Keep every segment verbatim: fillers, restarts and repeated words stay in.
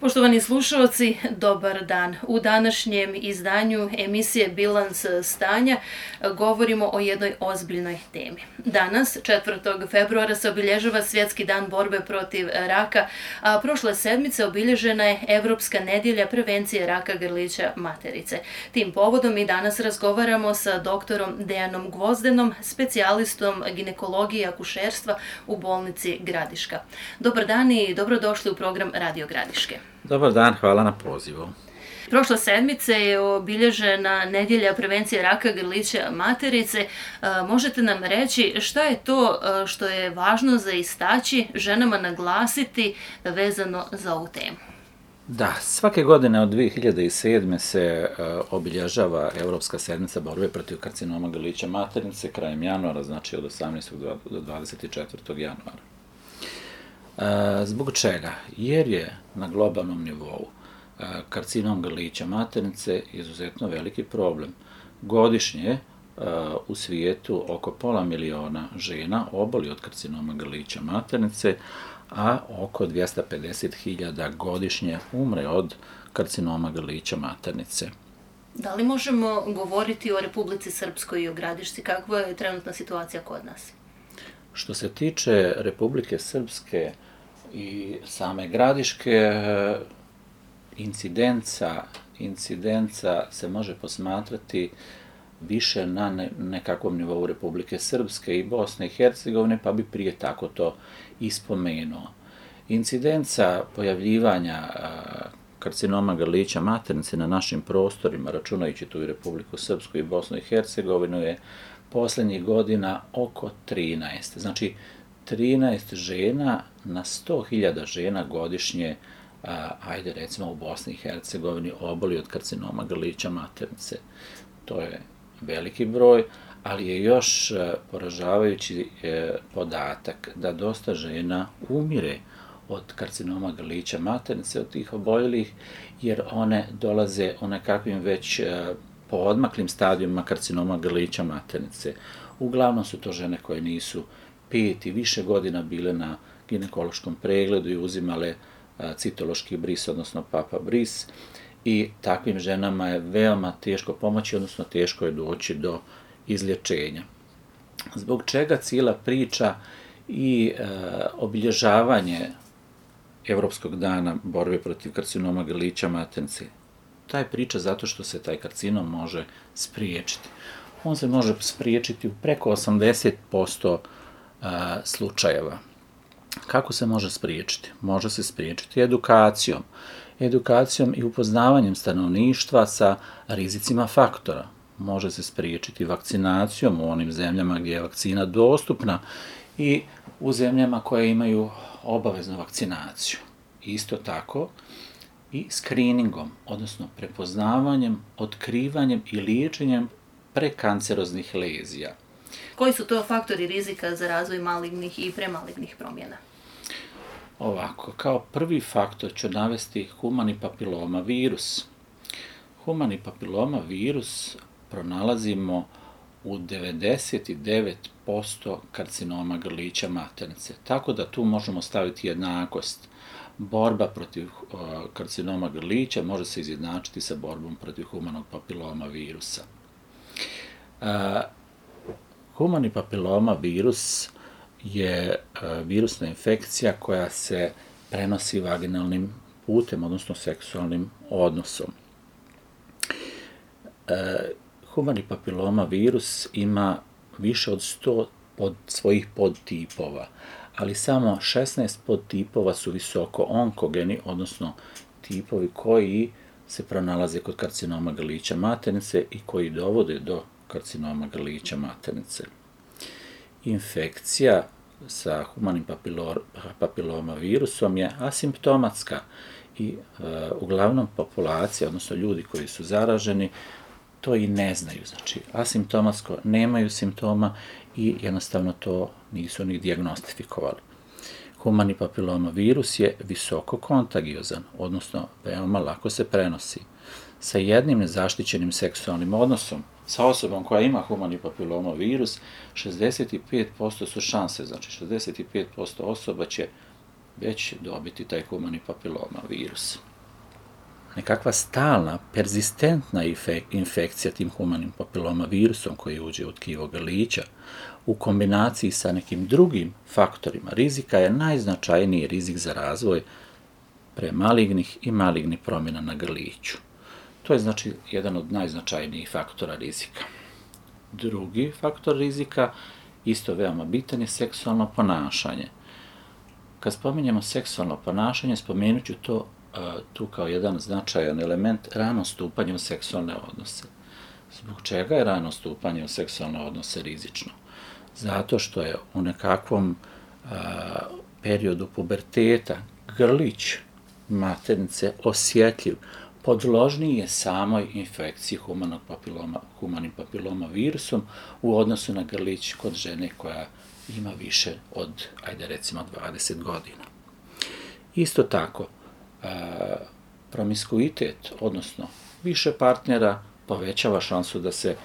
Poštovani slušalci, dobar dan. U današnjem izdanju emisije Bilans stanja govorimo o jednoj ozbiljnoj temi. Danas, četvrtog februara, se obilježava Svjetski dan borbe protiv raka, a prošle sedmice obilježena je Evropska nedjelja prevencije raka grlića materice. Tim povodom i danas razgovaramo sa doktorom Dejanom Gvozdenom, specijalistom ginekologije i akušerstva u bolnici Gradiška. Dobar dan i dobrodošli u program Radio Gradiške. Dobar dan, hvala na pozivu. Prošle sedmice je obilježena nedjelja prevencije raka grlića materice. Možete nam reći šta je to što je važno za istaći, ženama naglasiti vezano za ovu temu? Da, svake godine od dvije hiljade sedme. se uh, obilježava Europska sedmica borbe protiv karcinoma grlića materice krajem januara, znači od osamnaestog do dvadeset četvrtog januara. Uh, zbog čega? Jer je na globalnom nivou uh, karcinom grlića materice izuzetno veliki problem. Godišnje uh, u svijetu oko pola miliona žena oboli od karcinoma grlića materice, a oko dvjesto pedeset hiljada godišnje umre od karcinoma grlića materice. Da li možemo govoriti o Republici Srpskoj i o Gradišci? Kakva je trenutna situacija kod nas? Što se tiče Republike Srpske i same Gradiške, incidenca, incidenca se može posmatrati više na ne, nekakvom nivou Republike Srpske i Bosne i Hercegovine, pa bi prije tako to ispomenuo. Incidenca pojavljivanja a, karcinoma grlića materice na našim prostorima, računajući tu i Republiku Srpsku i Bosnu i Hercegovinu, je posljednjih godina oko trinaest. Znači, trinaest žena na sto hiljada žena godišnje, a, ajde recimo u Bosni i Hercegovini, oboli od karcinoma grlića materice. To je veliki broj, ali je još poražavajući podatak da dosta žena umire od karcinoma grlića materice, od tih oboljelih, jer one dolaze u nekakvim već poodmaklim stadijima karcinoma grlića materice. Uglavnom su to žene koje nisu pet i više godina bile na ginekološkom pregledu i uzimale citološki bris, odnosno papa bris, i takvim ženama je veoma teško pomoći, odnosno teško je doći do izlječenja. Zbog čega cijela priča i e, obilježavanje Evropskog dana borbe protiv karcinoma grlića materice? Ta je priča zato što se taj karcinom može spriječiti. On se može spriječiti u preko osamdeset posto a, slučajeva. Kako se može spriječiti? Može se spriječiti edukacijom. Edukacijom i upoznavanjem stanovništva sa rizicima faktora. Može se spriječiti vakcinacijom u onim zemljama gdje je vakcina dostupna i u zemljama koje imaju obaveznu vakcinaciju. Isto tako i screeningom, odnosno prepoznavanjem, otkrivanjem i liječenjem prekanceroznih lezija. Koji su to faktori rizika za razvoj malignih i premalignih promjena? Ovako, kao prvi faktor ću navesti humani papiloma virus. Humani papiloma virus pronalazimo u devedeset devet posto karcinoma grlića materice. Tako da tu možemo staviti jednakost. Borba protiv uh, karcinoma grlića može se izjednačiti sa borbom protiv humanog papiloma virusa. Uh, humani papiloma virus je uh, virusna infekcija koja se prenosi vaginalnim putem, odnosno seksualnim odnosom. Uh, humani papiloma virus ima više od sto pod svojih podtipova, ali samo šesnaest podtipova su visoko onkogeni, odnosno tipovi koji se pronalaze kod karcinoma grlića materice i koji dovode do karcinoma grlića materice. Infekcija sa humanim papiloma virusom je asimptomatska i uh, uglavnom populacija, odnosno ljudi koji su zaraženi, to i ne znaju. Znači, asimptomatsko nemaju simptoma i jednostavno to nisu ni dijagnostifikovali. Humani papiloma virus je visoko kontagiozan, odnosno veoma lako se prenosi. Sa jednim nezaštićenim seksualnim odnosom sa osobom koja ima humani papiloma virus, šezdeset pet posto su šanse, znači šezdeset pet posto osoba će već dobiti taj humani papiloma virus. nekakva stalna, perzistentna infekcija tim humanim papiloma virusom koji uđe u tkivo grlića, u kombinaciji sa nekim drugim faktorima rizika je najznačajniji rizik za razvoj premalignih i malignih promjena na grliću. To je znači jedan od najznačajnijih faktora rizika. Drugi faktor rizika, isto veoma bitan, je seksualno ponašanje. Kad spominjemo seksualno ponašanje, spomenut ću to tu kao jedan značajan element rano stupanje u seksualne odnose. Zbog čega je rano stupanje u seksualne odnose rizično? Zato što je u nekakvom a, periodu puberteta grlić maternice osjetljiv, podložniji je samoj infekciji humanog papiloma, humanim papiloma virusom u odnosu na grlić kod žene koja ima više od, ajde recimo, dvadeset godina. Isto tako, a, promiskuitet, odnosno više partnera, povećava šansu da se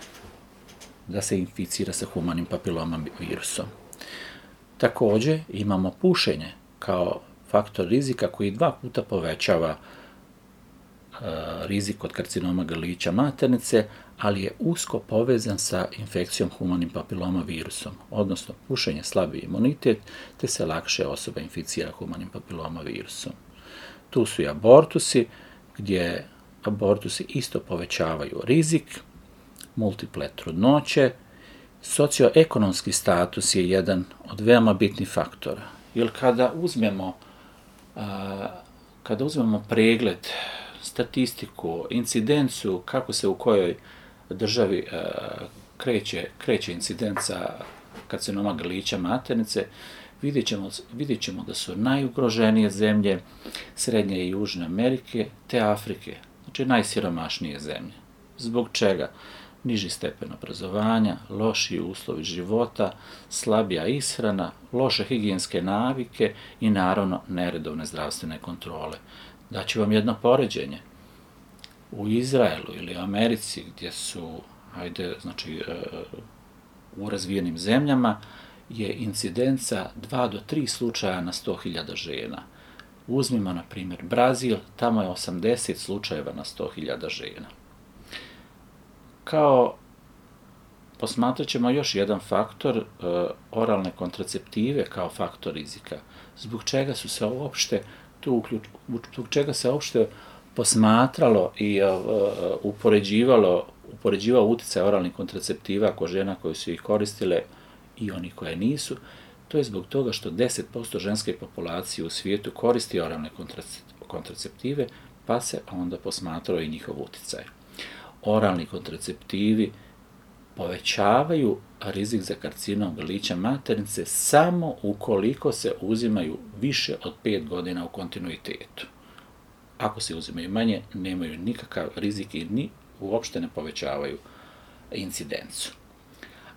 da se inficira sa humanim papiloma virusom. Također imamo pušenje kao faktor rizika koji dva puta povećava e, rizik od karcinoma grlića maternice, ali je usko povezan sa infekcijom humanim papiloma virusom, odnosno pušenje slabi imunitet, te se lakše osoba inficira humanim papiloma virusom. Tu su i abortusi, gdje abortusi isto povećavaju rizik, multiple trudnoće. Socioekonomski status je jedan od veoma bitnih faktora. Jer kada uzmemo, a, kada uzmemo pregled, statistiku, incidenciju, kako se u kojoj državi a, kreće, kreće incidenca karcinoma grlića maternice, vidjet ćemo, vidjet ćemo da su najugroženije zemlje Srednje i Južne Amerike te Afrike, znači najsiromašnije zemlje. Zbog čega? Niži stepen obrazovanja, lošiji uslovi života, slabija ishrana, loše higijenske navike i naravno neredovne zdravstvene kontrole. Daću vam jedno poređenje. U Izraelu ili Americi, gdje su, ajde, znači, u razvijenim zemljama, je incidenca dva do tri slučaja na sto hiljada žena. Uzmimo, na primjer, Brazil, tamo je osamdeset slučajeva na sto hiljada žena. Kao posmatrat ćemo još jedan faktor, oralne kontraceptive kao faktor rizika. Zbog čega su se uopšte tu uključ, zbog čega se uopšte posmatralo i upoređivalo, upoređivao utjecaj oralnih kontraceptiva kod žena koje su ih koristile i oni koje nisu. To je zbog toga što deset posto ženske populacije u svijetu koristi oralne kontraceptive, pa se onda posmatrao i njihov utjecaj. Oralni kontraceptivi povećavaju rizik za karcinom grlića maternice samo ukoliko se uzimaju više od pet godina u kontinuitetu. Ako se uzimaju manje, nemaju nikakav rizik i ni uopšte ne povećavaju incidencu.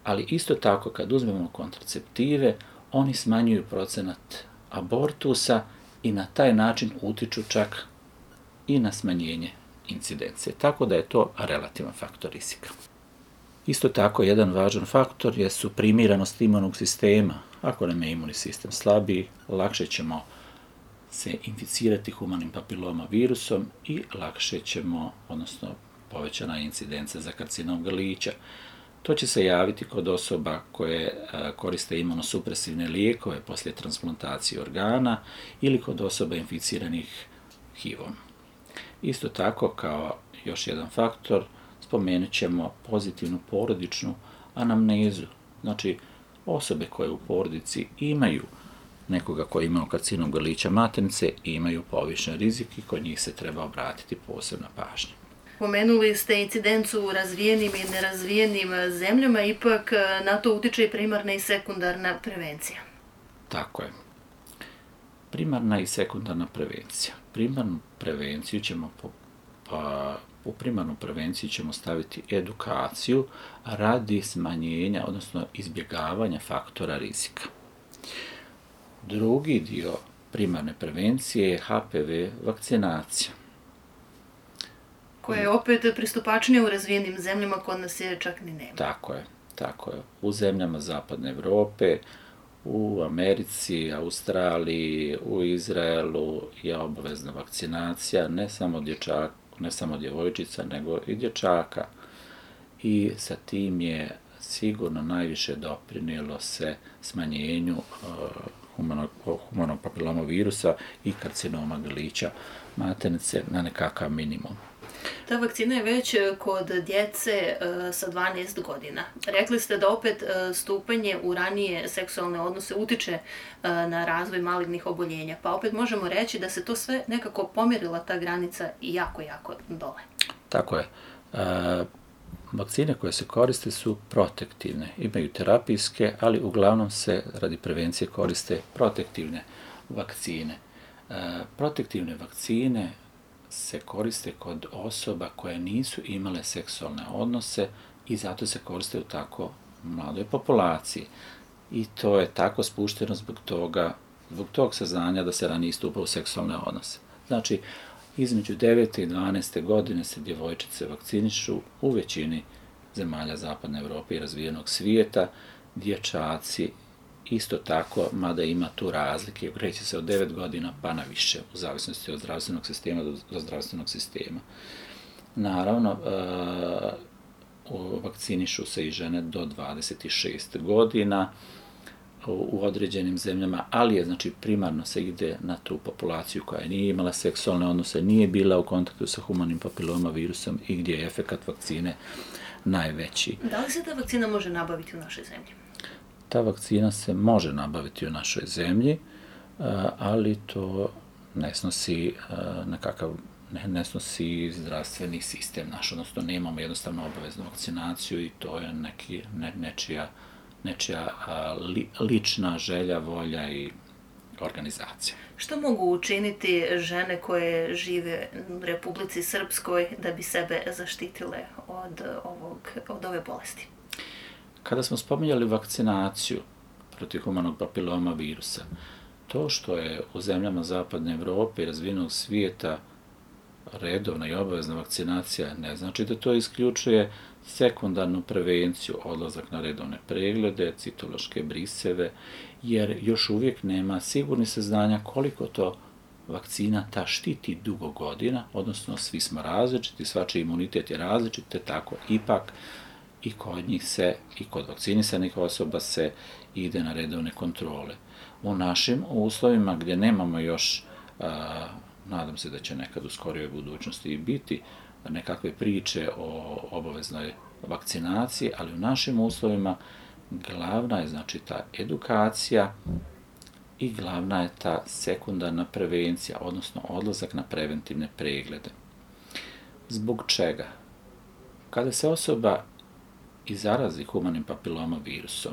Ali isto tako, kad uzmemo kontraceptive, oni smanjuju procenat abortusa i na taj način utiču čak i na smanjenje incidencije. Tako da je to relativan faktor rizika. Isto tako, jedan važan faktor je suprimiranost imunog sistema. Ako nam je imunni sistem slabiji, lakše ćemo se inficirati humanim papiloma virusom i lakše ćemo, odnosno povećana incidencija za karcinom grlića. To će se javiti kod osoba koje koriste imunosupresivne lijekove poslije transplantacije organa ili kod osoba inficiranih H I V-om. Isto tako, kao još jedan faktor, spomenut ćemo pozitivnu porodičnu anamnezu. Znači, osobe koje u porodici imaju nekoga koji ima karcinom grlića maternice i imaju povišen rizik i kod njih se treba obratiti posebna pažnja. Pomenuli ste incidencu u razvijenim i nerazvijenim zemljama, ipak na to utiče i primarna i sekundarna prevencija. Tako je. Primarna i sekundarna prevencija. Primarnu prevenciju ćemo, pa, u primarnu prevenciju ćemo staviti edukaciju radi smanjenja, odnosno izbjegavanja faktora rizika. Drugi dio primarne prevencije je H P V vakcinacija. Koja je opet pristupačnija u razvijenim zemljama, kod nas je čak ni nema. Tako je, tako je. U zemljama Zapadne Evrope, U Americi, Australiji, u Izraelu je obavezna vakcinacija ne samo dječaka, ne samo djevojčica, nego i dječaka. I sa tim je sigurno najviše doprinijelo se smanjenju humanog, humanog papilomavirusa i karcinoma grlića maternice na nekakav minimum. Ta vakcina je već kod djece sa dvanaest godina. Rekli ste da opet stupanje u ranije seksualne odnose utiče na razvoj malignih oboljenja, pa opet možemo reći da se to sve nekako pomjerila ta granica i jako, jako dole. Tako je. E, vakcine koje se koriste su protektivne, imaju terapijske, ali uglavnom se radi prevencije koriste protektivne vakcine. E, protektivne vakcine se koriste kod osoba koje nisu imale seksualne odnose i zato se koriste u tako mladoj populaciji. I to je tako spušteno zbog toga, zbog tog saznanja da se ranije stupa u seksualne odnose. Znači, između devete i dvanaeste godine se djevojčice vakcinišu u većini zemalja Zapadne Evrope i razvijenog svijeta, dječaci isto tako, mada ima tu razlike, kreće se od devet godina pa na više, u zavisnosti od zdravstvenog sistema do zdravstvenog sistema. Naravno, vakcinišu se i žene do dvadeset šest godina u određenim zemljama, ali je, znači, primarno se ide na tu populaciju koja nije imala seksualne odnose, nije bila u kontaktu sa humanim papilomavirusom i gdje je efekat vakcine najveći. Da li se ta vakcina može nabaviti u našoj zemlji? Ta vakcina se može nabaviti u našoj zemlji, ali to ne snosi nekakav, ne, ne snosi zdravstveni sistem naš, odnosno nemamo jednostavno obaveznu vakcinaciju i to je neki, ne, nečija, nečija li, lična želja, volja i organizacija. Što mogu učiniti žene koje žive u Republici Srpskoj da bi sebe zaštitile od, ovog, od ove bolesti? Kada smo spominjali vakcinaciju protiv humanog papiloma virusa, to što je u zemljama Zapadne Evrope i razvijenog svijeta redovna i obavezna vakcinacija ne znači da to isključuje sekundarnu prevenciju, odlazak na redovne preglede, citološke briseve, jer još uvijek nema sigurnih saznanja koliko to vakcina ta štiti dugo godina, odnosno svi smo različiti, svačiji imunitet je različit, te tako ipak i kod njih se, i kod vakcinisanih osoba se ide na redovne kontrole. U našim uslovima gdje nemamo još, a, nadam se da će nekad u skorijoj budućnosti biti nekakve priče o obaveznoj vakcinaciji, ali u našim uslovima glavna je, znači, ta edukacija i glavna je ta sekundarna prevencija, odnosno odlazak na preventivne preglede. Zbog čega? Kada se osoba i zarazi humanim papilomavirusom,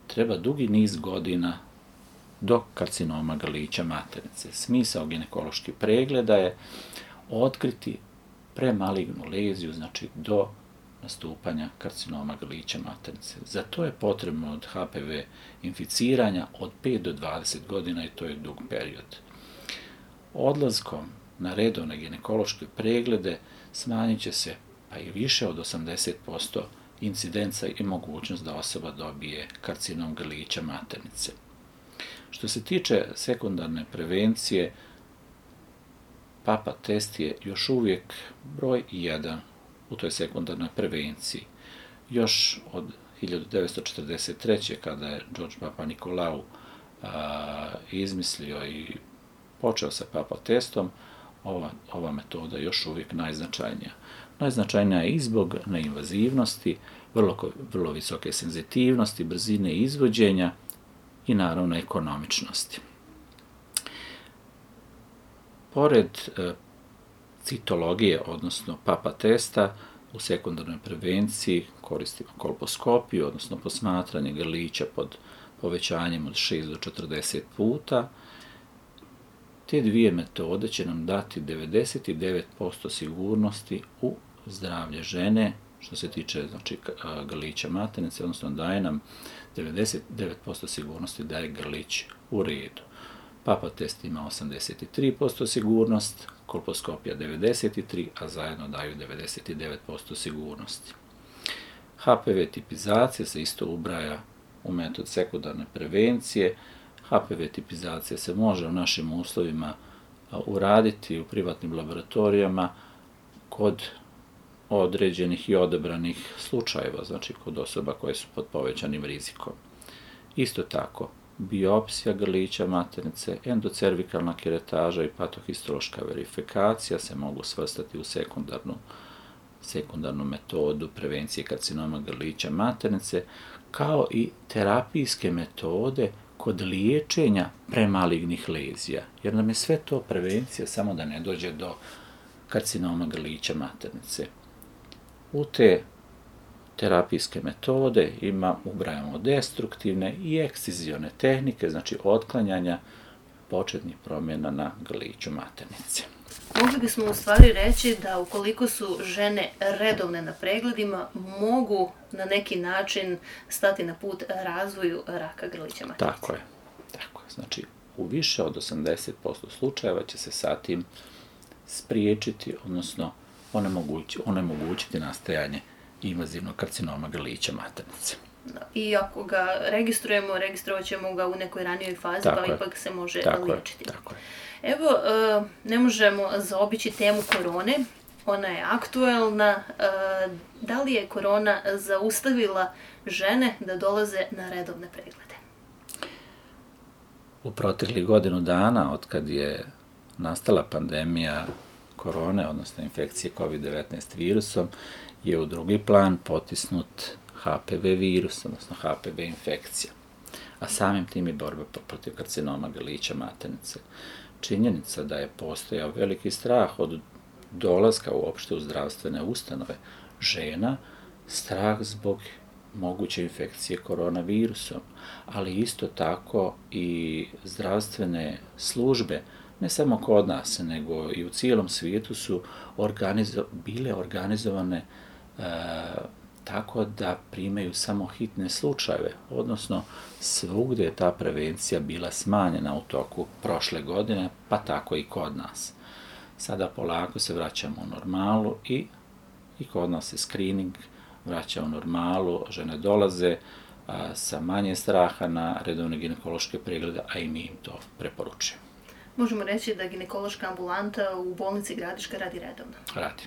treba dugi niz godina do karcinoma grlića maternice. Smisao ginekoloških pregleda je otkriti premalignu leziju, znači do nastupanja karcinoma grlića maternice. Za to je potrebno od H P V inficiranja od pet do dvadeset godina i to je dug period. Odlaskom na redovne ginekološke preglede smanjit će se pa i više od osamdeset posto incidenca i mogućnost da osoba dobije karcinom grlića maternice. Što se tiče sekundarne prevencije, papa test je još uvijek broj jedan u toj sekundarnoj prevenciji. Još od hiljadu devetsto četrdeset treće kada je George Papa Nikolau a, izmislio i počeo sa papa testom, ova, ova metoda je još uvijek najznačajnija. Najznačajnija je i zbog neinvazivnosti, vrlo, vrlo visoke senzitivnosti, brzine izvođenja i naravno ekonomičnosti. Pored e, citologije, odnosno papa testa, u sekundarnoj prevenciji koristimo kolposkopiju, odnosno posmatranje grlića pod povećanjem od šest do četrdeset puta. Te dvije metode će nam dati devedeset devet posto sigurnosti u zdravlje žene, što se tiče, znači, grlića maternice, odnosno daje nam devedeset devet posto sigurnosti da je grlić u redu. Papa test ima osamdeset tri posto sigurnost, kolposkopija devedeset tri, a zajedno daju devedeset devet posto sigurnosti. H P V tipizacija se isto ubraja u metod sekundarne prevencije. H P V tipizacija se može u našim uslovima uraditi u privatnim laboratorijama kod određenih i odabranih slučajeva, znači kod osoba koje su pod povećanim rizikom. Isto tako, biopsija grlića maternice, endocervikalna keretaža i patohistološka verifikacija se mogu svrstati u sekundarnu, sekundarnu metodu prevencije karcinoma grlića maternice, kao i terapijske metode kod liječenja premalignih lezija, jer nam je sve to prevencija samo da ne dođe do karcinoma grlića maternice. U te terapijske metode ima, ubrajamo destruktivne i ekscizione tehnike, znači otklanjanja početnih promjena na grliću maternice. Mogli bismo u stvari reći da ukoliko su žene redovne na pregledima, mogu na neki način stati na put razvoju raka grlića maternice. Tako je, tako je. Znači, u više od osamdeset posto slučajeva će se sa tim spriječiti, odnosno onemogućiti, onemogućiti nastajanje invazivnog karcinoma grlića maternice. I ako ga registrujemo, registrovat ćemo ga u nekoj ranijoj fazi, tako pa je. ipak se može tako liječiti. Je, tako je. Evo, ne možemo zaobići temu korone, ona je aktuelna. Da li je korona zaustavila žene da dolaze na redovne preglede? U proteklih godinu dana, od kad je nastala pandemija korone, odnosno infekcije kovid devetnaest virusom, je u drugi plan potisnut H P V virus, odnosno H P V infekcija, a samim tim i borba protiv karcinoma grlića maternice. Činjenica da je postojao veliki strah od dolaska uopšte u zdravstvene ustanove žena, strah zbog moguće infekcije koronavirusom, ali isto tako i zdravstvene službe, ne samo kod nas, nego i u cijelom svijetu su organizo- bile organizovane e, tako da primaju samo hitne slučajeve, odnosno svugdje je ta prevencija bila smanjena u toku prošle godine, pa tako i kod nas. Sada polako se vraćamo u normalu i, i kod nas se screening vraća u normalu, žene dolaze a, sa manje straha na redovne ginekološke preglede, a i mi im to preporučujemo. Možemo reći da ginekološka ambulanta u bolnici Gradiška radi redovno. Radi.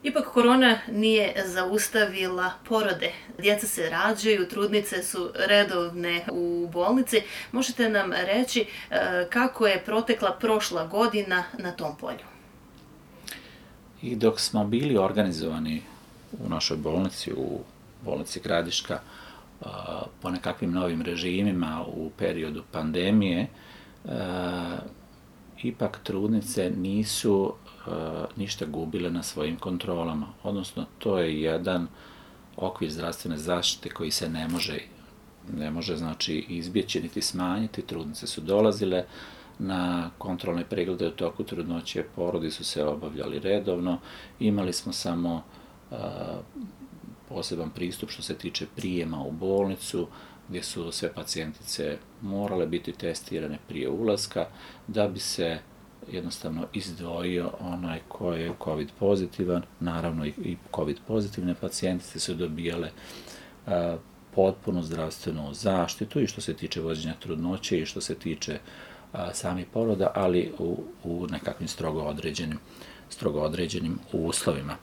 Ipak korona nije zaustavila porode. Djeca se rađaju, trudnice su redovne u bolnici. Možete nam reći kako je protekla prošla godina na tom polju? I dok smo bili organizovani u našoj bolnici, u bolnici Gradiška, po nekakvim novim režimima u periodu pandemije, ipak trudnice nisu ništa gubile na svojim kontrolama. Odnosno, to je jedan okvir zdravstvene zaštite koji se ne može, ne može znači, izbjeći niti smanjiti. Trudnice su dolazile na kontrolne preglede u toku trudnoće, porodi su se obavljali redovno, imali smo samo uh, poseban pristup što se tiče prijema u bolnicu, gdje su sve pacijentice morale biti testirane prije ulaska, da bi se jednostavno izdvojio onaj ko je COVID pozitivan. Naravno i COVID pozitivne pacijentice su dobijale uh, potpunu zdravstvenu zaštitu i što se tiče vođenja trudnoće i što se tiče a, samih poroda, ali u, u nekakvim strogo određenim, strogo određenim uslovima.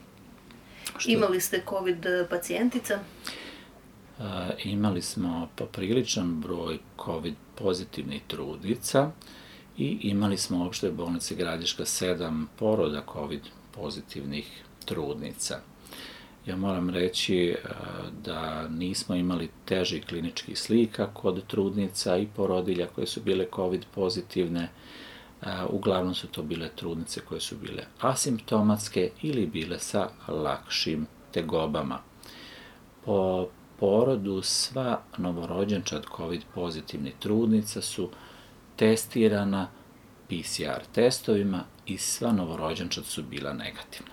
Što, imali ste COVID pacijentica? A, imali smo popriličan broj COVID pozitivnih trudnica i imali smo u opštoj bolnici Gradiška sedam poroda COVID pozitivnih trudnica. Ja moram reći da nismo imali težih kliničkih slika kod trudnica i porodilja koje su bile COVID pozitivne. Uglavnom su to bile trudnice koje su bile asimptomatske ili bile sa lakšim tegobama. Po porodu sva novorođenčad COVID pozitivnih trudnica su testirana P C R testovima i sva novorođenčad su bila negativna.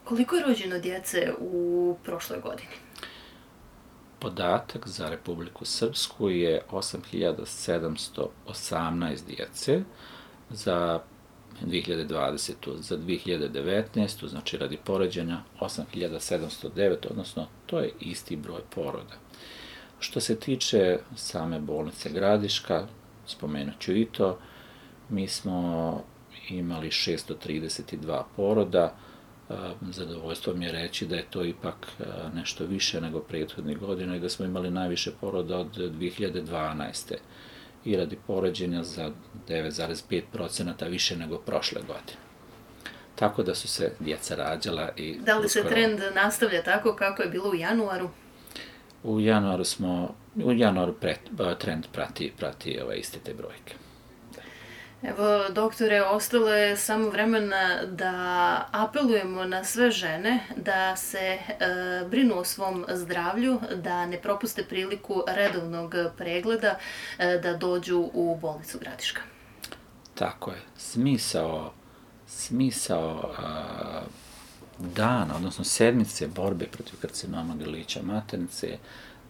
Koliko je rođeno djece u prošloj godini? Podatak za Republiku Srpsku je osam hiljada sedamsto osamnaest djece, za dvije hiljade dvadesete. Za dvije hiljade devetnaeste. znači radi poređenja osam hiljada sedamsto devet, odnosno to je isti broj poroda. Što se tiče same bolnice Gradiška, spomenut ću i to, mi smo imali šesto trideset dva poroda. Zadovoljstvo mi je reći da je to ipak nešto više nego prethodnih godina i da smo imali najviše poroda od dve hiljade dvanaeste. i radi poređenja za devet zarez pet procenata više nego prošle godine. Tako da su se djeca rađala i... Da li se uskoro... trend nastavlja tako kako je bilo u januaru? U januaru smo, u januaru pret, trend prati, prati ove iste te brojke. Evo, doktore, ostalo je samo vremena da apelujemo na sve žene da se e, brinu o svom zdravlju, da ne propuste priliku redovnog pregleda, e, da dođu u bolnicu Gradiška. Tako je. Smisao, smisao a, dana, odnosno sedmice borbe protiv karcinoma grlića maternice,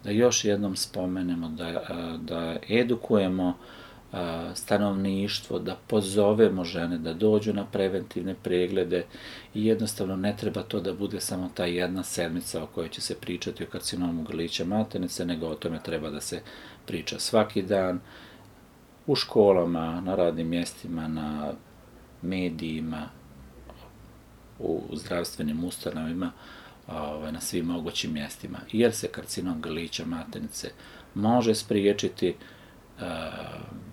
da još jednom spomenemo, da, a, da edukujemo stanovništvo, da pozovemo žene da dođu na preventivne preglede i jednostavno ne treba to da bude samo ta jedna sedmica o kojoj će se pričati o karcinomu grlića maternice, nego o tome treba da se priča svaki dan u školama, na radnim mjestima, na medijima, u zdravstvenim ustanovima, na svim mogućim mjestima, jer se karcinom grlića maternice može spriječiti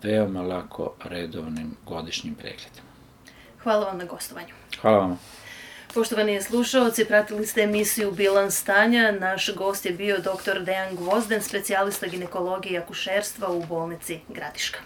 veoma lako redovnim godišnjim pregledima. Hvala vam na gostovanju. Hvala vam. Poštovani slušaoci, pratili ste emisiju Bilans stanja. Naš gost je bio doktor Dejan Gvozden, specijalista ginekologije i akušerstva u bolnici Gradiška.